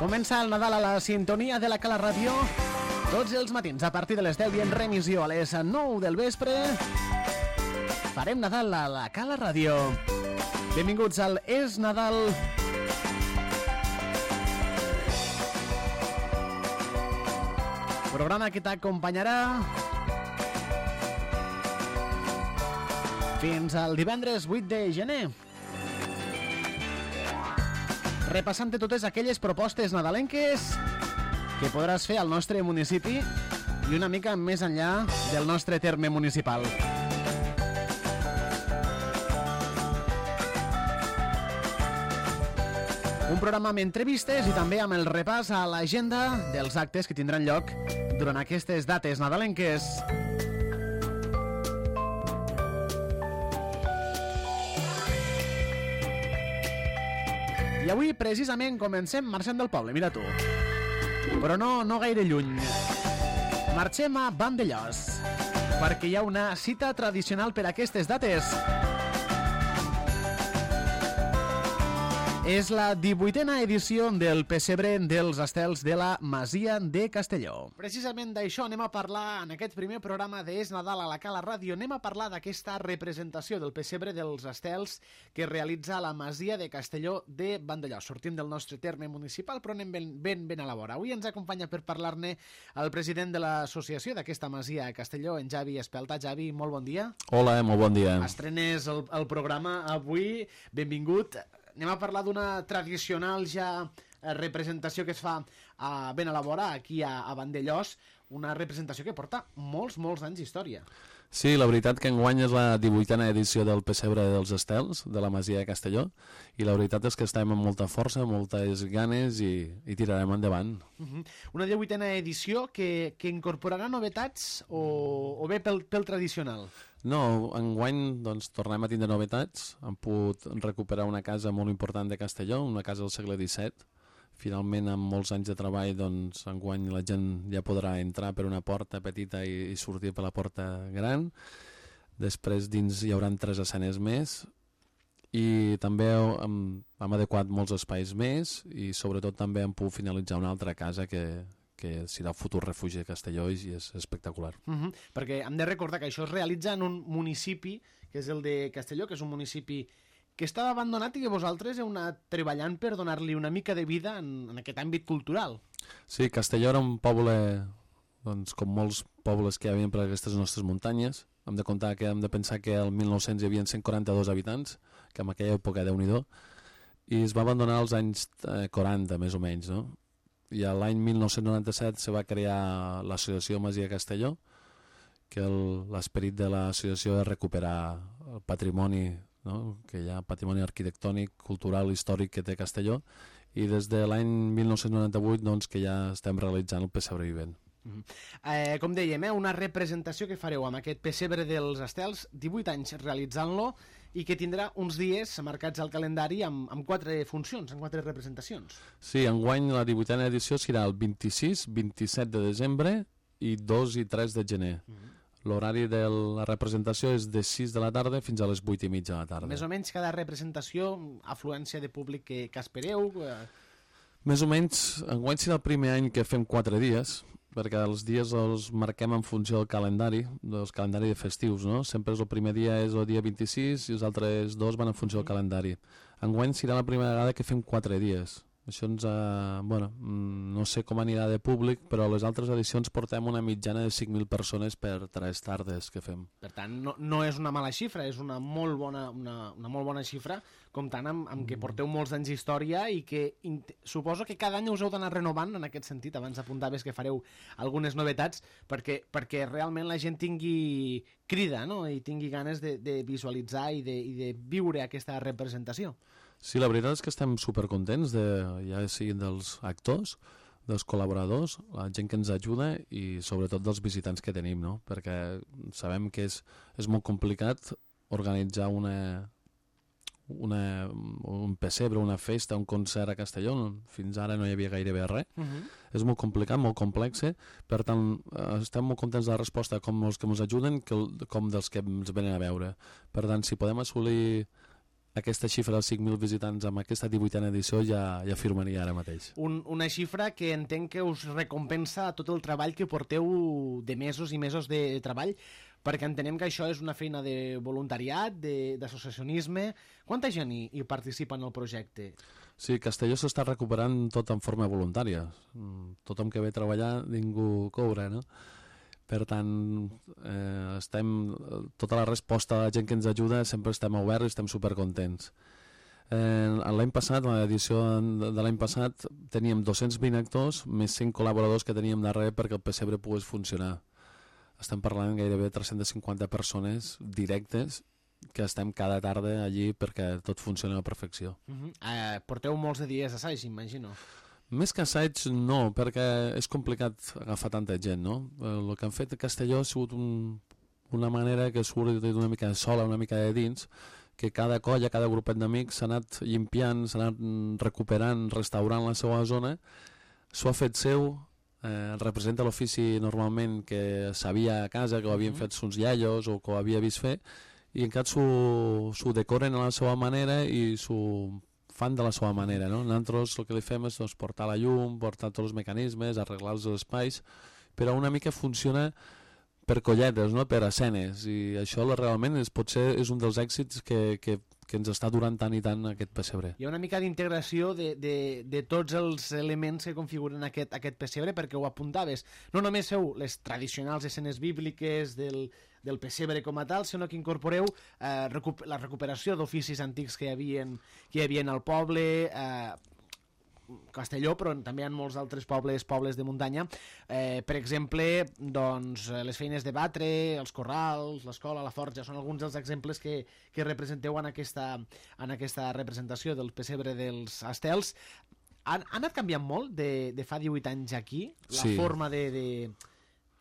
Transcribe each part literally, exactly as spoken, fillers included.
Comença el Nadal a la sintonia de la Cala Ràdio tots els matins a partir de les deu i en remissió a les nou del vespre. Farem Nadal a la Cala Ràdio. Benvinguts al És Nadal. Programa que t'acompanyarà fins al divendres vuit de gener. Repassant totes aquelles propostes nadalenques que podràs fer al nostre municipi i una mica més enllà del nostre terme municipal. Un programa amb entrevistes i també amb el repàs a l'agenda dels actes que tindran lloc durant aquestes dates nadalenques. I avui, precisament, comencem marxant del poble, mira tu. Però no, no gaire lluny. Marxem a Vandellòs, perquè hi ha una cita tradicional per a aquestes dates. És la divuitena edició del Pessebre dels Estels de la Masia de Castelló. Precisament d'això anem a parlar en aquest primer programa de És Nadal a la Cala Ràdio. Anem a parlar d'aquesta representació del Pessebre dels Estels que realitza la Masia de Castelló de Vandellòs. Sortim del nostre terme municipal, però anem ben, ben, ben a la vora. Avui ens acompanya per parlar-ne el president de l'associació d'aquesta Masia a Castelló, en Javi Espelta. Javi, molt bon dia. Hola, molt bon dia. Estrenes el, el programa avui. Benvingut. Anem a parlar d'una tradicional ja representació que es fa a, ben a la vora, aquí a, a Vandellòs, una representació que porta molts, molts anys d'història. Sí, la veritat que enguany és la divuitena edició del Pessebre dels Estels, de la Masia de Castelló, i la veritat és que estem amb molta força, moltes ganes i, i tirarem endavant. Uh-huh. Una divuitena edició que, que incorporarà novetats o, o bé pel, pel tradicional? No, enguany doncs, tornem a tindre novetats. Hem pogut recuperar una casa molt important de Castelló, una casa del segle disset. Finalment, amb molts anys de treball, doncs, enguany la gent ja podrà entrar per una porta petita i, i sortir per la porta gran. Després dins hi haurà tres escenes més i també hem, hem adequat molts espais més i sobretot també hem pogut finalitzar una altra casa que, que serà el futur refugi de Castelló i és espectacular. Uh-huh. Perquè hem de recordar que això es realitza en un municipi, que és el de Castelló, que és un municipi que estava abandonat i que vosaltres heu anat treballant per donar-li una mica de vida en, en aquest àmbit cultural. Sí, Castelló era un poble, doncs, com molts pobles que hi havia per aquestes nostres muntanyes. Hem de comptar que hem de pensar que al mil nou-cents hi havia cent quaranta-dos habitants, que en aquella època Déu-n'hi-do, i es va abandonar als anys eh, quaranta, més o menys, no? I l'any mil nou-cents noranta-set se va crear l'associació Masia Castelló, que l'esperit de l'associació és recuperar el patrimoni, no? Que hi ha patrimoni arquitectònic, cultural, històric que té Castelló, i des de l'any mil nou-cents noranta-vuit doncs, que ja estem realitzant el Pessebre Vivent. Uh-huh. eh, com dèiem, eh, una representació que fareu amb aquest Pessebre dels Estels, divuit anys realitzant-lo, i que tindrà uns dies marcats al calendari amb, amb quatre funcions, amb quatre representacions. Sí, enguany la divuitena edició serà el vint-i-sis, vint-i-set de desembre i dos i tres de gener. Uh-huh. L'horari de la representació és de sis de la tarda fins a les vuit i mitja de la tarda. Més o menys cada representació, afluència de públic que, que espereu? Eh... Més o menys, enguany serà el primer any que fem quatre dies, perquè els dies els marquem en funció del calendari, dels calendari de festius, no? Sempre el primer dia és el dia vint-i-sis i els altres dos van en funció del calendari. Enguany serà la primera vegada que fem quatre dies. Això ens ha... Bueno, no sé com anirà de públic, però a les altres edicions portem una mitjana de cinc mil persones per tres tardes que fem. Per tant, no, no és una mala xifra, és una molt bona, una, una molt bona xifra, comptant amb, amb que porteu molts anys d'història i que suposo que cada any us heu d'anar renovant en aquest sentit. Abans apuntaves que fareu algunes novetats perquè, perquè realment la gent tingui crida, no? I tingui ganes de, de visualitzar i de, i de viure aquesta representació. Sí, la veritat és que estem supercontents, de, ja siguin dels actors, dels col·laboradors, la gent que ens ajuda i sobretot dels visitants que tenim, no? Perquè sabem que és, és molt complicat organitzar una, una, un pessebre, una festa, un concert a Castelló. Fins ara no hi havia gairebé res. Uh-huh. És molt complicat, molt complex, per tant estem molt contents de la resposta, com els que ens ajuden com dels que ens venen a veure. Per tant, si podem assolir aquesta xifra dels cinc mil visitants amb aquesta divuitena edició ja, ja firmaria ara mateix. Un, una xifra que entenc que us recompensa tot el treball que porteu de mesos i mesos de treball, perquè entenem que això és una feina de voluntariat, d'associacionisme. Quanta gent hi, hi participa en el projecte? Sí, Castelló s'està recuperant tot en forma voluntària. Tothom que ve a treballar, ningú cobra, no? Per tant, eh, estem, tota la resposta a la gent que ens ajuda sempre estem oberts i estem supercontents. Eh, l'any passat, l'edició de l'any passat, teníem dos-cents vint actors més cinc col·laboradors que teníem darrere perquè el pessebre pogués funcionar. Estem parlant gairebé tres-centes cinquanta persones directes que estem cada tarda allí perquè tot funcioni a la perfecció. Uh-huh. eh, porteu molts de dies d'assaig, imagino. Més que assaig, no, perquè és complicat agafar tanta gent, no? El que han fet a Castelló ha sigut un, una manera que surt d'una mica de sola, una mica de dins, que cada colla, cada grupet d'amics s'ha anat llimpiant, s'ha anat recuperant, restaurant la seva zona, s'ho ha fet seu, eh, representa l'ofici normalment que sabia a casa, que ho havien fet sus iaios o que ho havia vist fer, i encara s'ho decoren a la seva manera i s'ho fan de la seva manera, no? Nosaltres el que li fem és doncs, portar la llum, portar tots els mecanismes, arreglar els espais, però una mica funciona per colletes, no? Per escenes, i això realment és, potser és un dels èxits que, que, que ens està durant tant i tant aquest pessebre. Hi ha una mica d'integració de, de, de tots els elements que configuren aquest, aquest pessebre, perquè ho apuntaves. No només feu les tradicionals escenes bíbliques del, del pessebre com a tal, sinó que incorporeu eh, recup la recuperació d'oficis antics que hi havia, que hi havia al poble, eh, Castelló, però també hi ha molts altres pobles, pobles de muntanya. Eh, per exemple, doncs, les feines de batre, els corrals, l'escola, la forja, són alguns dels exemples que, que representeu en aquesta, en aquesta representació del pessebre dels estels. Ha, ha anat canviant molt de, de fa divuit anys aquí, la sí. forma de, de,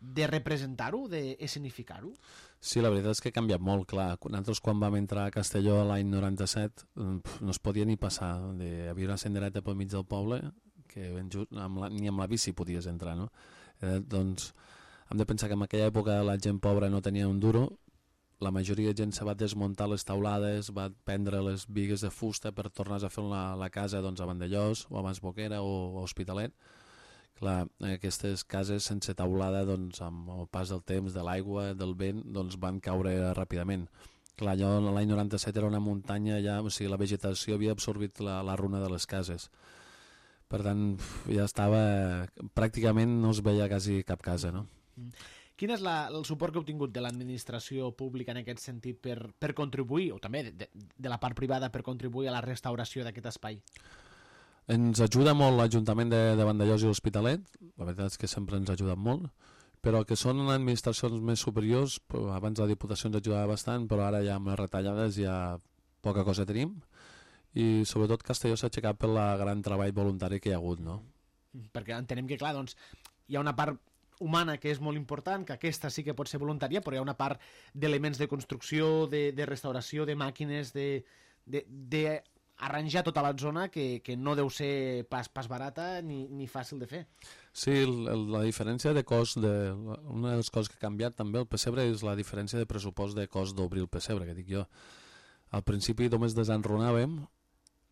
de representar-ho, d'escenificar-ho? Sí, la veritat és que ha canviat molt, clar. Nosaltres quan vam entrar a Castelló l'any noranta-set no es podia ni passar. Hi havia una sendereta pel mig del poble que just, amb la, ni amb la bici podies entrar, no? Eh, doncs hem de pensar que en aquella època la gent pobra no tenia un duro, la majoria de gent se va desmuntar les taulades, va prendre les bigues de fusta per tornar a fer la, la casa doncs, a Vandellós o a Masboquera o a Hospitalet. Clar, aquestes cases sense taulada, doncs, amb el pas del temps, de l'aigua, del vent, doncs, van caure ràpidament. Clar, allò l'any noranta-set era una muntanya, ja, o sigui, la vegetació havia absorbit la, la runa de les cases. Per tant, ja estava... Pràcticament no es veia quasi cap casa, no? Quin és la, el suport que heu tingut de l'administració pública en aquest sentit per, per contribuir, o també de, de, de la part privada per contribuir a la restauració d'aquest espai? Ens ajuda molt l'Ajuntament de, de Vandellós i l'Hospitalet, la veritat és que sempre ens ha ajudat molt, però que són administracions més superiors, abans la Diputació ens ajudava bastant, però ara ja amb les retallades ja poca cosa tenim, i sobretot Castelló s'ha aixecat pel gran treball voluntari que hi ha hagut, no? Perquè entenem que, clar, doncs, hi ha una part humana que és molt important, que aquesta sí que pot ser voluntària, però hi ha una part d'elements de construcció, de, de restauració, de màquines, de... de, de arranjar tota la zona que, que no deu ser pas, pas barata ni, ni fàcil de fer. Sí, la, la diferència de cost, de, una de les coses que ha canviat també el pessebre és la diferència de pressupost de cost d'obrir el pessebre, que dic jo. Al principi només desenrunàvem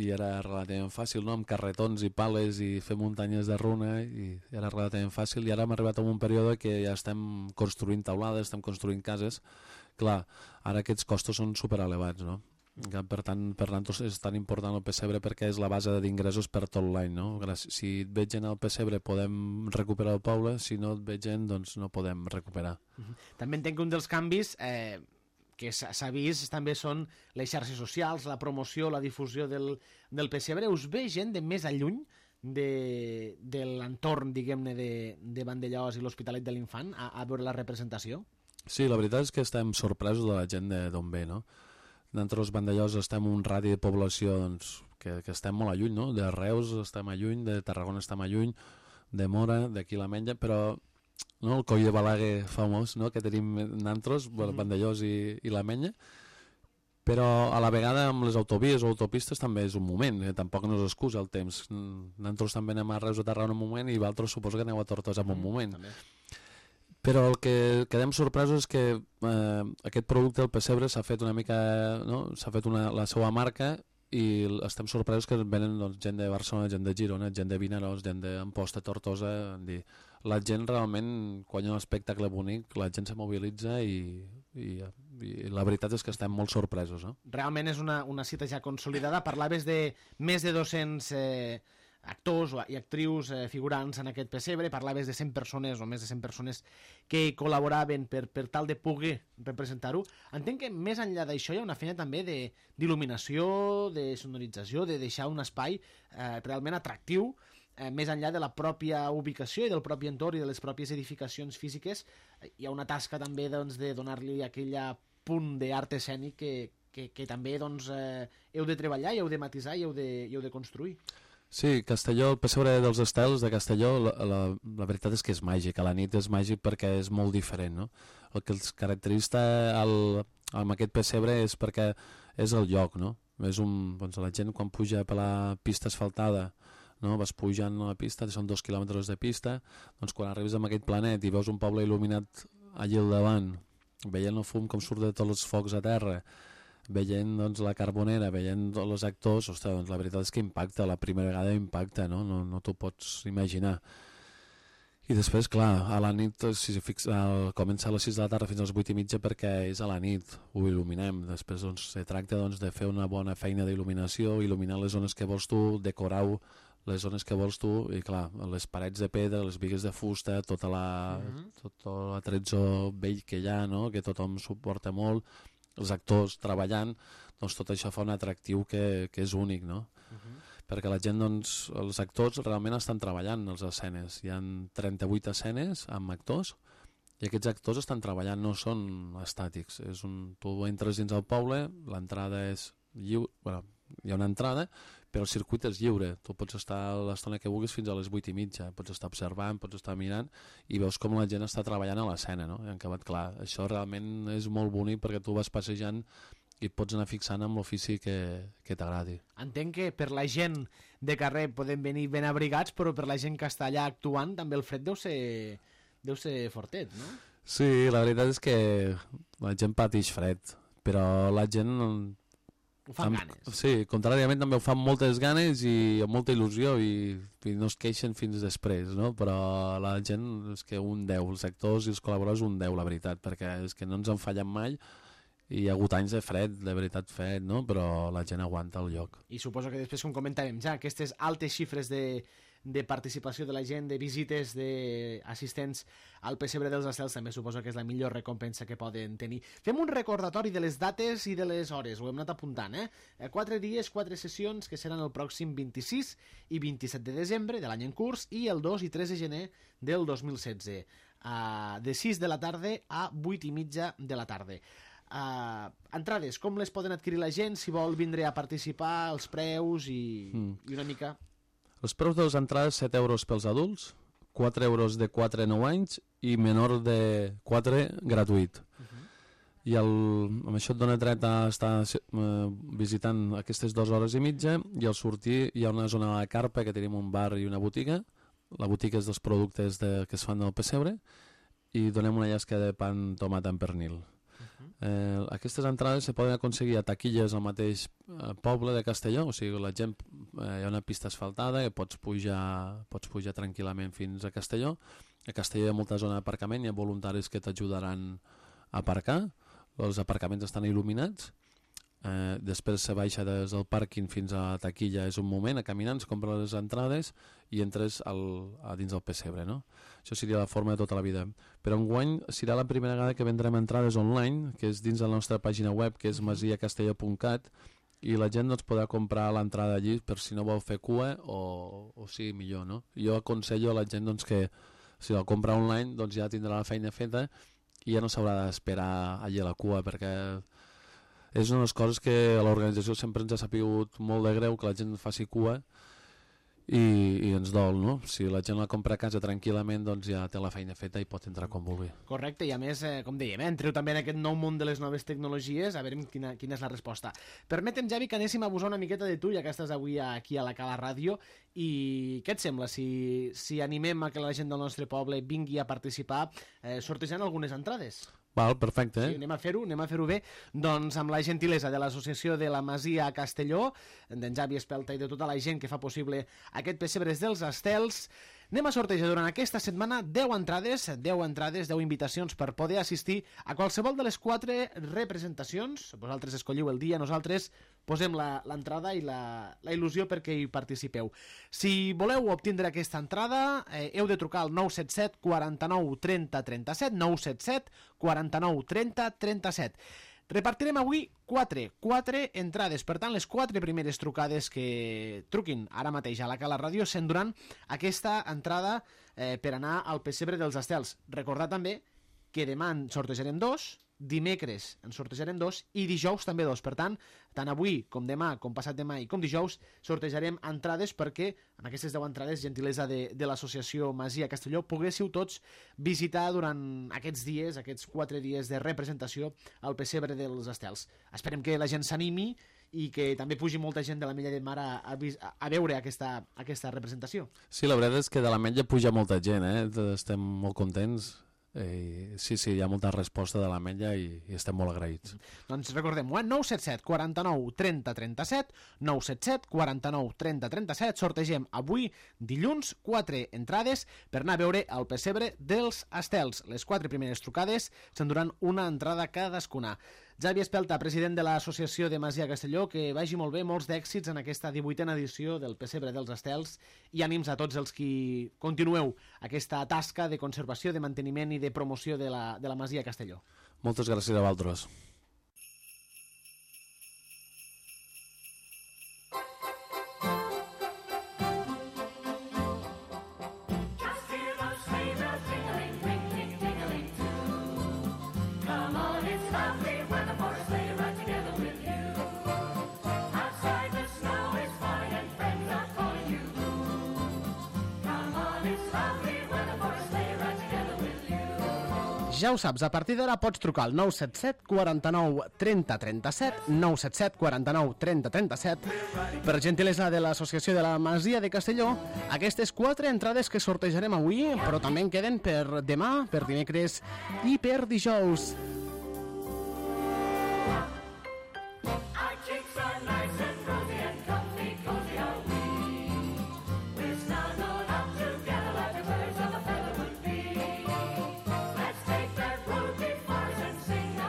i era relativament fàcil, no? Amb carretons i pales i fer muntanyes de runa i era relativament fàcil, i ara hem arribat a un període que ja estem construint taulades, estem construint cases. Clar, ara aquests costos són superelevats, no? Per tant, per nosaltres és tan important el pessebre perquè és la base d'ingressos per tot l'any, no? Si et veig gent al pessebre podem recuperar el poble, si no et veig gent doncs no podem recuperar. Uh-huh. També entenc que un dels canvis eh, que s'ha vist també són les xarxes socials, la promoció, la difusió del, del pessebre. Us ve gent de més a lluny de, de l'entorn, diguem-ne, de, de Vandellós i l'Hospitalet de l'Infant a, a veure la representació? Sí, la veritat és que estem sorpresos de la gent d'on ve, no? Nosaltres, Vandellós, estem un radi de població doncs, que, que estem molt a lluny, no? De Reus estem a lluny, de Tarragona estem a lluny, de Mora, d'aquí l'Ametlla, però no? El coll de Balaguer famós, no? Que tenim nosaltres, mm-hmm. Vandellós i, i l'Ametlla, però a la vegada amb les autovies o autopistes també és un moment, eh? Tampoc no s'excusa el temps. Nosaltres també anem a Reus o Tarragona un moment i vosaltres suposo que aneu a Tortosa en un moment. També. Però el que quedem sorpresos és que eh, aquest producte, el pessebre, s'ha fet una mica, no? S'ha fet una, la seva marca i estem sorpresos que venen doncs, gent de Barcelona, gent de Girona, gent de Vinaròs, gent d'Amposta, Tortosa. Dir, la gent realment, quan hi ha un espectacle bonic, la gent se mobilitza i, i, i la veritat és que estem molt sorpresos. No? Realment és una, una cita ja consolidada. Parlaves de més de dos-cents eh, actors i actrius eh, figurants en aquest pessebre, parlaves de cent persones o més de cent persones que col·laboraven per, per tal de poder representar-ho. Entenc que més enllà d'això hi ha una feina també d'il·luminació, de, de sonorització, de deixar un espai eh, realment atractiu, eh, més enllà de la pròpia ubicació i del propi entorn i de les pròpies edificacions físiques. Eh, hi ha una tasca també doncs, de donar-li aquella punt d'art escènic que, que, que també doncs, eh, heu de treballar i heu de matisar i heu de, i heu de construir. Sí, Castelló, el pessebre dels estels de Castelló, la, la, la veritat és que és màgic, a la nit és màgic perquè és molt diferent, no? El que els caracteritza el, amb aquest pessebre és perquè és el lloc, no? És un, doncs la gent quan puja per la pista asfaltada, no? Vas pujant a la pista, són dos quilòmetres de pista, doncs quan arribes a aquest planet i veus un poble il·luminat allà al davant, veient el fum com surt de tots els focs a terra, veient doncs, la Carbonera, veient els actors, ostres, doncs, la veritat és que impacta, la primera vegada impacta, no, no, no t'ho pots imaginar. I després, clar, a la nit, si fixa, comença a les sis de la tarda fins a les vuit i mitja perquè és a la nit, ho il·luminem. Després doncs, se tracta doncs, de fer una bona feina d'il·luminació, il·luminar les zones que vols tu, decorar les zones que vols tu, i clar, les parets de pedra, les bigues de fusta, tota la, mm-hmm. tot l'atrezzo vell que hi ha, no? Que tothom suporta molt, els actors treballant, doncs tot això fa un atractiu que, que és únic, no? Uh-huh. Perquè la gent, doncs, els actors realment estan treballant a les escenes. Hi ha trenta-vuit escenes amb actors i aquests actors estan treballant, no són estàtics. És un, tu entres dins el poble, l'entrada és lliure, bueno, hi ha una entrada, però el circuit és lliure. Tu pots estar l'estona que vulguis fins a les vuit i mitja, pots estar observant, pots estar mirant i veus com la gent està treballant a l'escena, no? I en acabat, clar, això realment és molt bonic perquè tu vas passejant i et pots anar fixant amb l'ofici que, que t'agradi. Entenc que per la gent de carrer podem venir ben abrigats, però per la gent que està allà actuant també el fred deu ser, deu ser fortet, no? Sí, la veritat és que la gent pateix fred, però la gent... Ho fan amb ganes. Sí, contràriament també ho fan moltes ganes i amb molta il·lusió i, i no es queixen fins després, no? Però la gent és que un deu, els actors i els col·laboradors un deu, la veritat, perquè és que no ens en fallen mai i hi ha hagut anys de fred, de veritat fred, no? Però la gent aguanta el lloc. I suposo que després, com comentàvem ja, aquestes altes xifres de, de participació de la gent, de visites, d'assistents al pessebre dels estels, també suposo que és la millor recompensa que poden tenir. Fem un recordatori de les dates i de les hores, ho hem anat apuntant, eh? Quatre dies, quatre sessions, que seran el pròxim vint-i-sis i vint-i-set de desembre de l'any en curs i el dos i tres de gener del dos mil setze, uh, de sis de la tarda a vuit i mitja de la tarda. Uh, entrades, com les poden adquirir la gent si vol vindre a participar, els preus i, mm. i una mica... Els preus de les entrades, set euros pels adults, quatre euros de quatre a nou anys i menor de quatre gratuït. Uh-huh. I el, amb això et dona dret a estar uh, visitant aquestes dues hores i mitja i al sortir hi ha una zona a la carpa que tenim un bar i una botiga. La botiga és dels productes de, que es fan del pessebre i donem una llesca de pan, tomata en pernil. Eh, aquestes entrades se poden aconseguir a taquilles al mateix eh, poble de Castelló, o sigui, la gent, eh, hi ha una pista asfaltada i pots pujar, pots pujar tranquil·lament fins a Castelló. A Castelló hi ha molta zona d'aparcament, hi ha voluntaris que t'ajudaran a aparcar, els aparcaments estan il·luminats, eh, després se baixa des del pàrquing fins a la taquilla, és un moment, a caminar, es compra les entrades i entres al, a dins del pessebre, no? Això seria la forma de tota la vida. Però enguany serà la primera vegada que vendrem entrades online, que és dins de la nostra pàgina web, que és masia castelló punt cat, i la gent doncs, podrà comprar l'entrada allí per si no vol fer cua o, o sí, millor, no? Jo aconsello a la gent doncs, que si la compra online doncs, ja tindrà la feina feta i ja no s'haurà d'esperar allí a la cua, perquè és una de les coses que a l'organització sempre ens ha sapigut molt de greu que la gent faci cua i, i ens dol, no? Si la gent la compra a casa tranquil·lament, doncs ja té la feina feta i pot entrar com vulgui. Correcte, i a més, eh, com dèiem, eh, entreu també en aquest nou món de les noves tecnologies, a veure quina, quina és la resposta. Permetem, Javi, que anéssim a abusar una miqueta de tu, ja que estàs avui aquí a la Cala Ràdio, i què et sembla si, si animem a que la gent del nostre poble vingui a participar eh, sortejant algunes entrades? Val, perfecte. Eh? Sí, anem a fer-ho, anem a fer-ho bé, doncs amb la gentilesa de l'Associació de la Masia a Castelló, d'en Javi Espelta i de tota la gent que fa possible aquest Pessebres dels Estels. Anem a sortejar durant aquesta setmana deu entrades, deu entrades, deu invitacions per poder assistir a qualsevol de les quatre representacions. Vosaltres escolliu el dia, nosaltres posem l'entrada i la, la il·lusió perquè hi participeu. Si voleu obtindre aquesta entrada, eh, heu de trucar al nou set set, quaranta-nou, trenta, trenta-set, nou set set, quaranta-nou, trenta, trenta-set. Repartirem avui quatre, quatre entrades. Per tant, les quatre primeres trucades que truquin ara mateix a la Cala Ràdio s'enduran aquesta entrada eh, per anar al Pessebre dels Estels. Recordar també que demà en sortejarem dos, dimecres en sortejarem dos i dijous també dos. Per tant, tant avui com demà, com passat demà i com dijous, sortejarem entrades perquè amb aquestes deu entrades, gentilesa de, de l'associació Masia Castelló, poguéssiu tots visitar durant aquests dies, aquests quatre dies de representació al Pessebre dels Estels. Esperem que la gent s'animi i que també pugi molta gent de l'Ametlla de Mar a, a, a veure aquesta, aquesta representació. Sí, la veritat és que de l'Ametlla puja molta gent, eh? Estem molt contents. Eh, sí, sí, hi ha molta resposta de l'Ametlla i, i estem molt agraïts. Doncs recordem-ho, eh? nou set set, quaranta-nou, trenta, trenta-set, nou set set, quaranta-nou, trenta, trenta-set. Sortegem avui, dilluns, quatre entrades per anar a veure el Pessebre dels Estels. Les quatre primeres trucades s'enduran una entrada cadascuna. Javi Espelta, president de l'Associació de Masia Castelló, que vagi molt bé, molts d'èxits en aquesta divuitena edició del Pessebre dels Estels i ànims a tots els qui continueu aquesta tasca de conservació, de manteniment i de promoció de la, de la Masia Castelló. Moltes gràcies a vosaltres. Ja ho saps, a partir d'ara pots trucar al nou set set, quaranta-nou, trenta, trenta-set, nou set set, quaranta-nou, trenta, trenta-set. Per gentilesa de l'Associació de la Masia de Castelló, aquestes quatre entrades que sortejarem avui, però també en queden per demà, per dimecres i per dijous.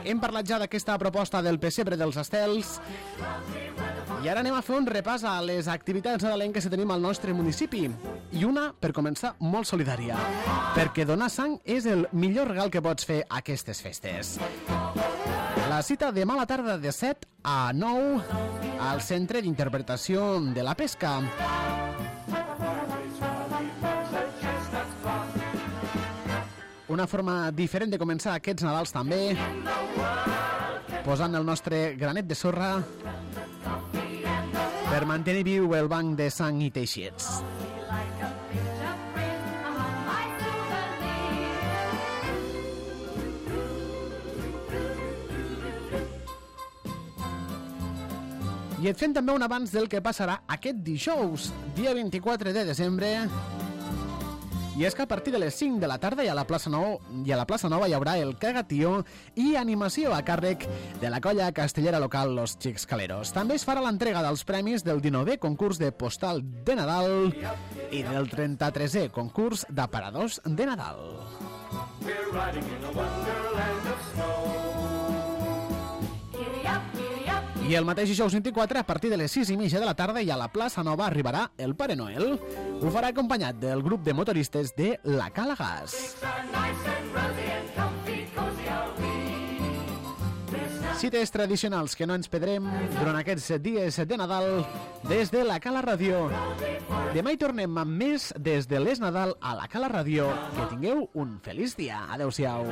Hem parlat ja d'aquesta proposta del Pessebre dels Estels i ara anem a fer un repàs a les activitats nadalenques que tenim al nostre municipi. I una, per començar, molt solidària, perquè donar sang és el millor regal que pots fer a aquestes festes. La cita demà a la tarda de set a nou al Centre d'Interpretació de la Pesca. Una forma diferent de començar aquests Nadals també, posant el nostre granet de sorra per mantenir viu el banc de sang i teixits. I et fem també un abans del que passarà aquest dijous, dia vint-i-quatre de desembre. I és que a partir de les cinc de la tarda i a la plaça Nou, i a la plaça Nova hi haurà el Cagatió i animació a càrrec de la colla castellera local Los Xixcaleros. També es farà l'entrega dels premis del dinovè concurs de postal de Nadal i del trenta-tresè concurs d'aparadors de Nadal. I el mateix dijous vint-i-quatre, a partir de les sis i mitja de la tarda i a la plaça Nova arribarà el Pare Noel. Ho farà acompanyat del grup de motoristes de la Cala Gas. Cites tradicionals que no ens perdrem durant aquests dies de Nadal des de la Cala Ràdio. Demà hi tornem amb més des de l'Es Nadal a la Cala Ràdio. Que tingueu un feliç dia. Adéu-siau.